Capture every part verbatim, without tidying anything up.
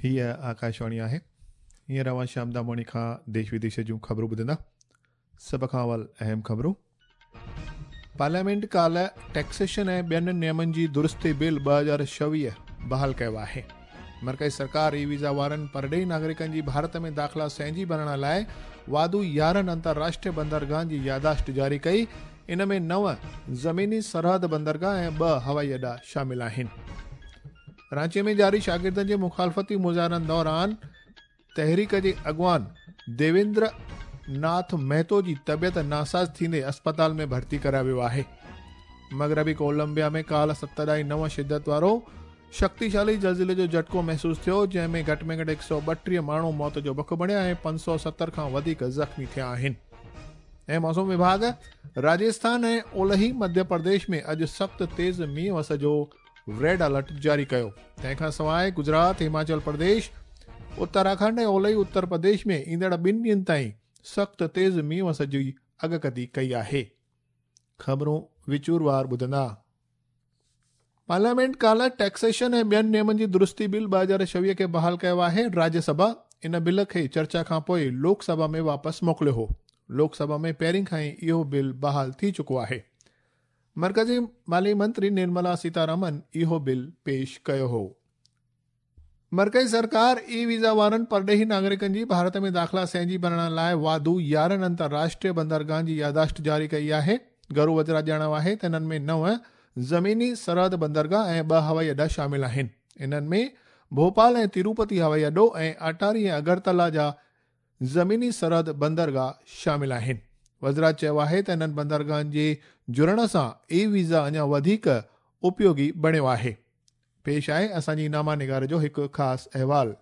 हीअ आकाशवाणी आहे। हींअर अव्हां श्याम दामोणी खां देश विदेश जूं ख़बरूं ॿुधंदा। सभ खां अवल अहम ख़बरूं। पार्लियामेंट काल्ह टैक्सेशन ऐं ॿियनि नियमनि जी दुरुस्ती बिल ॿ हज़ार छवीह बहाल कयो आहे। मर्कज़ी सरकार ई वीज़ा वारनि परॾेही नागरिकनि जी भारत में दाख़िला सैंजी भरण लाइ वाधू यारहं अंतर्राष्ट्रीय बंदरगाहनि जी यादाश्त जारी कई। इन में नव ज़मीनी सरहद बंदरगाह ऐं ॿ हवाई अॾा शामिल आहिनि। रांची में जारी शागिर्दनि जे मुखालफ़ती मुज़ाहिरनि दौरान तहरीक जे अॻवान देवेंद्र नाथ महतो जी तबियत नासाज़ थींदे अस्पताल में भर्ती करायो वियो आहे। मग़रबी कोलंबिया में काल्ह सत ॾाई नव शिदत वारो शक्तिशाली ज़लज़िले जो झटको महसूसु थियो, जंहिं में घटि में घटि हिकु सौ ॿटीह माण्हू मौत जो बख बणिया ऐं पंज सौ सतरि खां वधीक ज़ख़्मी थिया आहिनि। ऐं मौसम विभाग राजस्थान ऐं ओलही मध्य प्रदेश में अॼु सख़्तु तेज़ मींहुं वस जो रेड अलर्ट जारी कयो। तंहिंखां सवाइ गुजरात, हिमाचल प्रदेश, उत्तराखंड ऐं ओलही उत्तर प्रदेश में ईंदड़ ॿिनि ॾींहनि ताईं सख़्तु तेज़ मींहुं वस जी अॻकथी कई आहे। ख़बरूं विचूरवार ॿुधंदा। पार्लियामेंट काल्ह टैक्सेशन ऐं ॿियनि नियमनि जी दुरुस्ती बिल ॿ हज़ार छवीह खे बहाल कयो आहे। राज्यसभा इन बिल खे चर्चा खां पोइ लोकसभा में वापसि मोकिलियो हो। लोकसभा में पहिरीं खां ई इहो बिल बहाल थी चुको आहे। मर्कज़ी माली मंत्री निर्मला सीतारमन इहो बिल पेश कयो हो। मर्कज़ी सरकार ई वीज़ा वारनि परॾेही नागरिकनि जी भारत में दाख़िला सैंजी भरण लाइ वाधू यारहं अंतर्राष्ट्रीय बंदरगाहनि जी यादाश्त जारी कई आहे। घरू वज़ारत ॼाणायो आहे त इन्हनि में नव ज़मीनी सरहद बंदरगाह ऐं ॿ हवाई अॾा शामिल आहिनि। इन्हनि में भोपाल ऐं तिरुपति हवाई अॾो ऐं अटारी ऐं अगरतला जा ज़मीनी सरहद बंदरगाह शामिल आहिनि। वज़ारत चयो आहे त इन्हनि बंदरगाहनि जे जुड़ण सां ई वीज़ा अञा वधीक उपयोगी बणियो आहे। पेश आहे असांजी नामा निगार जो हिकु ख़ासि अहवाल।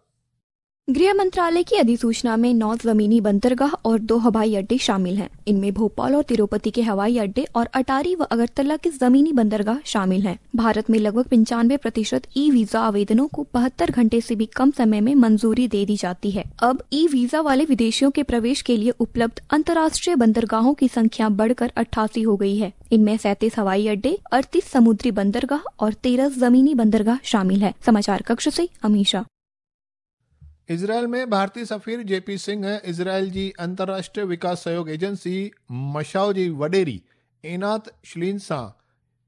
गृह मंत्रालय की अधिसूचना में नौ जमीनी बंदरगाह और दो हवाई अड्डे शामिल हैं। इनमें भोपाल और तिरुपति के हवाई अड्डे और अटारी व अगरतला के जमीनी बंदरगाह शामिल हैं। भारत में लगभग पंचानवे प्रतिशत ई वीजा आवेदनों को बहत्तर घंटे से भी कम समय में मंजूरी दे दी जाती है। अब ई वीजा वाले विदेशियों के प्रवेश के लिए उपलब्ध अंतर्राष्ट्रीय बंदरगाहों की संख्या बढ़कर अट्ठासी हो गई है। इनमें सैंतीस हवाई अड्डे, अड़तीस समुद्री बंदरगाह और तेरह जमीनी बंदरगाह शामिल है। समाचार कक्ष से अमीशा। इज़राइल में भारतीय सफ़ीर जेपी सिंह इज़राइल जी अंतर्राष्ट्रीय विकास सहयोग एजेंसी मशाओ जी वॾेरी एनात श्लीन सां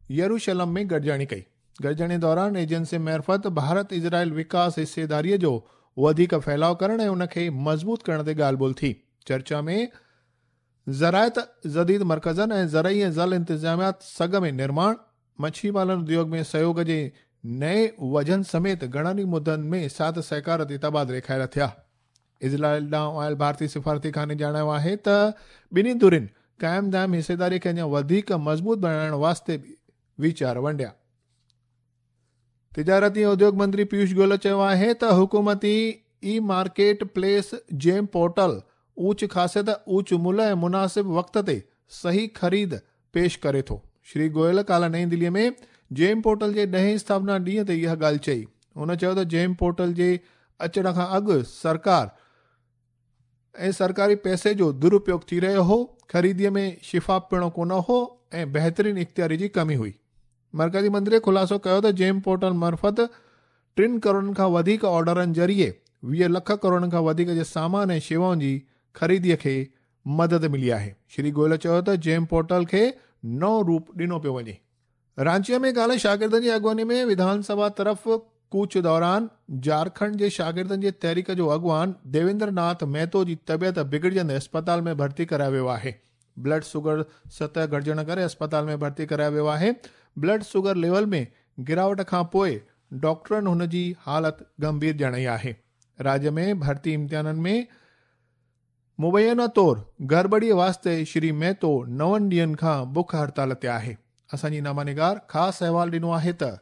यरूशलम में गॾिजाणी कई। गॾिजाणी दौरान एजेंसी मार्फ़त भारत इज़राइल विकास हिस्सेदारीअ जो वधीक फैलाव करण ऐं उनखे मज़बूत करण ते ॻाल्हि ॿोल थी। चर्चा में ज़रायत, जदीद मर्कज़नि ऐं ज़रई ऐं जल इंतिज़ामियात सघ में निर्माण, मच्छी पालन उद्योग में सहयोग जे नए वजन समेत घणनि मुद्दनि में साथ सहकार ते तबादिले ख़ायल थिया। इज़राइल ॾांहुं आयल भारतीय सिफारती खाने ॼाणायो आहे त ॿिन्ही धुरियुनि क़ाइम दाइम हिस्सेदारी खे अञा वधीक मज़बूत बणाइण वास्ते वीचार वंडिया। तिजारती ऐं उद्योग मंत्री पीयूष गोयल चयो आहे त हुकूमती e market place GeM portal ऊच ख़ासियत, ऊच मुल्ह ऐं मुनासिब वक़्त ते सही ख़रीद पेश करे थो। श्री गोयल काल्ह नई दिल्लीअ में जेम पोर्टल जे ॾहें स्थापना ॾींहं ते इहा ॻाल्हि चई। हुन चयो त जेम पोर्टल जे अचण खां अॻु सरकार ऐं सरकारी पैसे जो दुरुपयोग थी रहियो हो, ख़रीदीअ में शिफ़ाफ़ पिणु कोन हो ऐं बहितरीन इख़्तियारी जी कमी हुई। मर्कज़ी मंत्री ख़ुलासो कयो त जेम पोर्टल मार्फ़त टिनि करोड़नि खां वधीक ऑर्डरनि ज़रिए वीह लख करोड़नि खां वधीक जे सामान ऐं शेवाउनि जी ख़रीदीअ खे मदद मिली आहे। श्री गोयल चयो त जेम पोर्टल खे नओं रूप ॾिनो पियो वञे। रांचीअ में काल्ह शागिर्दनि जी अॻुवानी में विधानसभा तरफ़ कूच दौरान झारखंड जे शागिर्दनि जे तहरीक जो अॻवान देवेंद्र नाथ महतो जी तबियत बिगड़जंदे अस्पताल में भर्ती करायो वियो आहे। ब्लड शुगर सतह घटिजण करे अस्पताल में भर्ती करायो वियो आहे। ब्लड शुगर लेवल में गिरावट खां पोइ डॉक्टरनि हुन जी हालत गंभीर ॼाणाई आहे। राज्य में भर्ती इम्तिहाननि में मुबैना तौर गड़बड़ीअ वास्ते श्री महतो नवनि ॾींहनि खां बुख हड़ताल ते आहे। असांजी नामानिगार ख़ासि अहवाल ॾिनो आहे त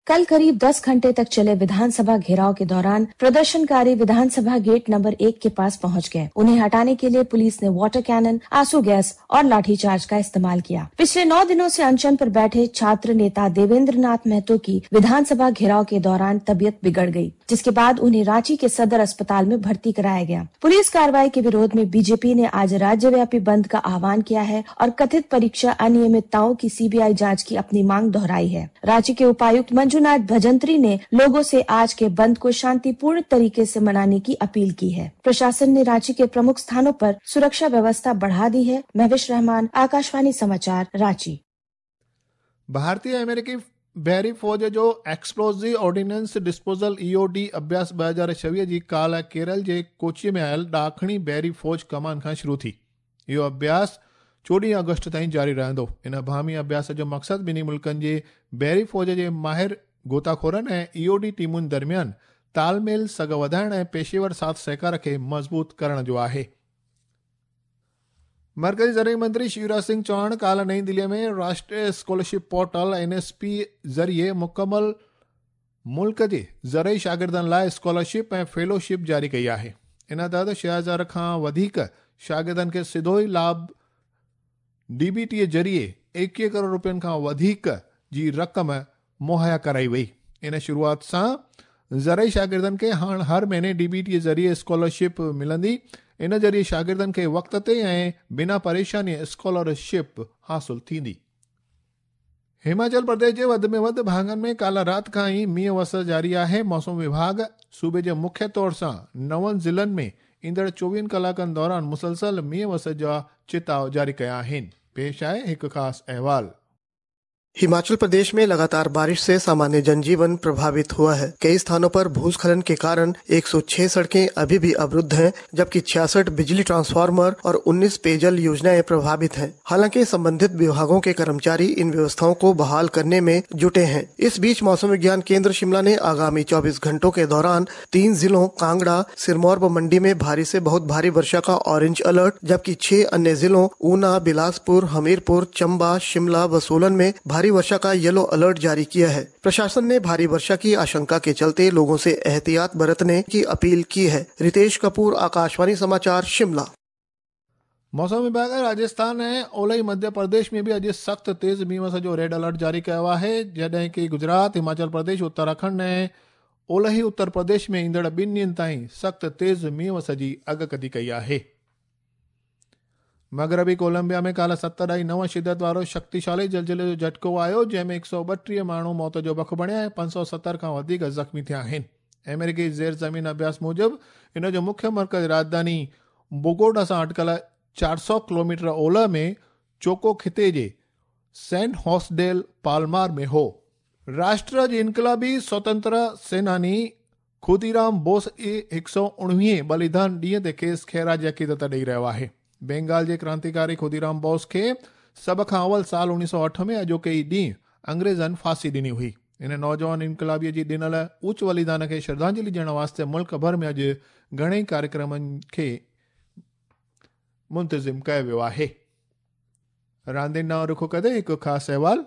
कल करीब दस घंटे तक चले विधानसभा घेराव के दौरान प्रदर्शनकारी विधानसभा गेट नंबर एक के पास पहुंच गए। उन्हें हटाने के लिए पुलिस ने वाटर कैनन, आंसू गैस और लाठीचार्ज का इस्तेमाल किया। पिछले नौ दिनों से अनशन पर बैठे छात्र नेता देवेंद्र नाथ महतो की विधानसभा घेराव के दौरान तबीयत बिगड़ गई। जिसके बाद उन्हें रांची के सदर अस्पताल में भर्ती कराया गया। पुलिस कार्रवाई के विरोध में बीजेपी ने आज राज्यव्यापी बंद का आह्वान किया है और कथित परीक्षा अनियमितताओं की सीबीआई जांच की अपनी मांग दोहराई है। रांची के उपायुक्त मंजुनाथ भजंत्री ने लोगों से आज के बंद को शांतिपूर्ण तरीके से मनाने की अपील की है। प्रशासन ने रांची के प्रमुख स्थानों पर सुरक्षा व्यवस्था बढ़ा दी है। महविश रहमान, आकाशवाणी समाचार, रांची। भारतीय अमेरिकी बहरी फौज जो एक्सप्लोजिव ऑर्डिनेंस डिस्पोजल ईओडी अभ्यास ॿ हज़ार छवीह जी काल्ह केरल जे कोची में आयल ॾाखणी बहरी फौज कमान खां शुरू थी। इहो अभ्यास चोॾहं अगस्त ताईं जारी रहंदो। इन बाहमी अभ्यास जो मक़सदु ॿिन्ही मुल्कनि जे बहरी फौज जे माहिर गोताखोरनि ऐं ईओडी टीमुनि दरमियान तालमेल सघ वधाइण ऐं पेशेवर साथ सहकार खे मज़बूत करण जो आहे। मरकज़ी ज़रई मंत्री शिवराज सिंह चौहान काल्ह नई दिल्ली में राष्ट्रीय scholarship portal N S P ज़रिए मुकमल मुल्क जे ज़रई शागिर्दनि लाइ स्कॉलरशिप ऐं फेलोशिप जारी कई आहे। इन तहत छह हज़ार खां वधीक शागिर्दनि खे सिधो ई लाभ डीबीटी ज़रिए एकवीह करोड़ रुपयनि खां वधीक जी रक़म मुहैया कराई वई। इन शुरूआत सां ज़रई शागिर्दनि खे हाणे हर महीने डीबीटी ज़रिए स्कॉलरशिप मिलंदी। इन ज़रिए शागिर्दनि खे वक़्त ते ऐं बिना परेशानी स्कॉलरशिप हासिल थींदी। हिमाचल प्रदेश जे वधि में वधि भाङनि में काल्ह राति खां ई मींहुं वस जारी आहे। मौसम विभाग सूबे जे मुख्य तौर सां नवनि ज़िलनि में ईंदड़ चोवीहनि कलाकनि दौरान मुसलसल मींहुं वस जा चिताव जारी कया आहिनि। पेश आहे हिकु ख़ासि अहवाल। हिमाचल प्रदेश में लगातार बारिश से सामान्य जनजीवन प्रभावित हुआ है। कई स्थानों पर भूस्खलन के कारण एक सौ छह सड़कें अभी भी अवरुद्ध हैं, जबकि छियासठ बिजली ट्रांसफार्मर और उन्नीस पेयजल योजनाएं प्रभावित हैं। हालांकि संबंधित विभागों के कर्मचारी इन व्यवस्थाओं को बहाल करने में जुटे हैं। इस बीच मौसम विज्ञान केंद्र शिमला ने आगामी चौबीस घंटों के दौरान तीन जिलों कांगड़ा, सिरमौर व मंडी में भारी से बहुत भारी वर्षा का ऑरेंज अलर्ट, जबकि छह अन्य जिलों ऊना, बिलासपुर, हमीरपुर, चंबा, शिमला व सोलन में भारी वर्षा का येलो अलर्ट जारी किया है। प्रशासन ने भारी वर्षा की आशंका के चलते लोगों से एहतियात बरतने की अपील की है। रितेश कपूर, आकाशवाणी समाचार, शिमला। मौसम विभाग राजस्थान ऐं ओलही मध्य प्रदेश में बि अॼु सख़्तु तेज़ मींहुं वस जो रेड अलर्ट जारी कयो आहे, जॾहिं की गुजरात, हिमाचल प्रदेश, उत्तराखंड ऐं ओलही उत्तर प्रदेश में ईंदड़ ॿिनि ॾींहनि ताईं सख़्तु तेज़ मींहुं वस जी अॻकथी कई आहे। मगरबी कोलंबिया में काल्ह सत ॾाई नव शिदत वारो शक्तिशाली जलजले जो झटको आयो, जंहिंमें हिकु सौ ॿटीह माण्हू मौत जो बख बणिया ऐं पंज सौ सतरि खां वधीक ज़ख़्मी थिया आहिनि। अमेरिकी ज़ेर ज़मीन अभ्यास मूजिबि इन जो मुख्य मर्कज़ राजधानी बोगोटा सां अटकल चारि सौ किलोमीटर ओलह में चोको खिते जे सैन हॉसडेल पालमार में हो। राष्ट्र जे इनकलाबी स्वतंत्र सेनानी खुदीराम बोस जे हिकु सौ उणिवीह बलिदान ॾींहं ते खेसि ख़ैराज अक़ीदत ॾेई रहियो आहे। बेंगाल जे क्रांतिकारी खुदीराम बोस खे सभ खां अवल साल उणिवीह सौ अठ में अॼोके ई ॾींहुं अंग्रेज़नि फांसी ॾिनी हुई। इन नौजवान इनकलाबीअ जी ॾिनल उच्च बलिदान खे श्रद्धांजलि ॾियण वास्ते मुल्क भर में अॼु घणेई कार्यक्रमनि खे मुंतज़िम कयो वियो आहे। रांदियुनि ॾांहुं रुख कंदे हिकु ख़ासि अहवाल।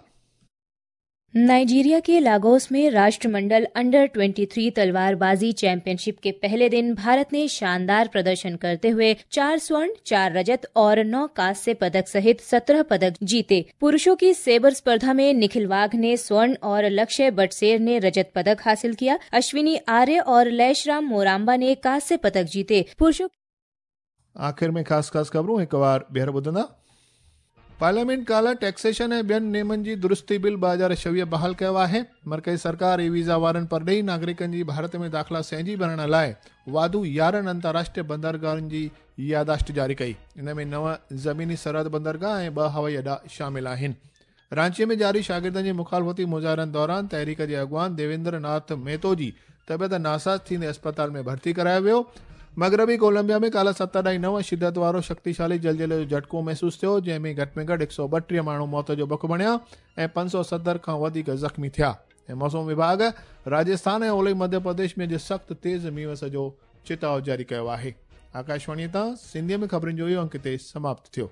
नाइजीरिया के लागोस में राष्ट्रमंडल अंडर तेईस तलवारबाजी चैंपियनशिप के पहले दिन भारत ने शानदार प्रदर्शन करते हुए चार स्वर्ण, चार रजत और नौ कांस्य पदक सहित सत्रह पदक जीते। पुरुषों की सेबर स्पर्धा में निखिल वाघ ने स्वर्ण और लक्ष्य बटसेर ने रजत पदक हासिल किया। अश्विनी आर्य और लैशराम मोराम्बा ने कांस्य पदक जीते। पुरुषों आख़िर में ख़ासि ख़ासि ख़बरूं हिकु बार ॿीहर ॿुधंदा। पार्लियामेंट काल्ह टैक्सेशन ऐं ॿियनि नियमनि जी दुरुस्ती बिल ॿ हज़ार छवीह बहाल कयो आहे। मर्कज़ी सरकार ई वीज़ा वारनि परॾेही नागरिकनि जी भारत में दाख़िला सहजी भरण लाइ वाधू यारहं अंतर्राष्ट्रीय बंदरगाहुनि जी यादाश्त जारी कई। इन में नव ज़मीनी सरहद बंदरगाह ऐं ॿ हवाई अॾा शामिल आहिनि। रांचीअ में जारी शागिर्दनि जे मुखालफ़ती मुज़ाहिरनि दौरान तहरीक जे अॻुवान देवेंद्र नाथ महतो जी तबियत नासाज़ थींदे अस्पताल में भर्ती करायो वियो। मगरबी कोलंबिया में काल्ह सत ॾाई नव शिदत वारो शक्तिशाली जलजले जो झटको महसूसु थियो, जंहिंमें घटि में घटि हिकु सौ ॿटीह माण्हू मौत जो बख बणिया ऐं पंज सौ सतरि खां वधीक ज़ख़्मी थिया। ऐं मौसम विभाग राजस्थान ऐं ओलही मध्य प्रदेश में अॼु सख़्तु तेज़ मींहुं वस जो चिताव जारी कयो आहे। आकाशवाणीअ तां सिंधीअ में ख़बरुनि जो इहो अंक हिते समाप्त थियो।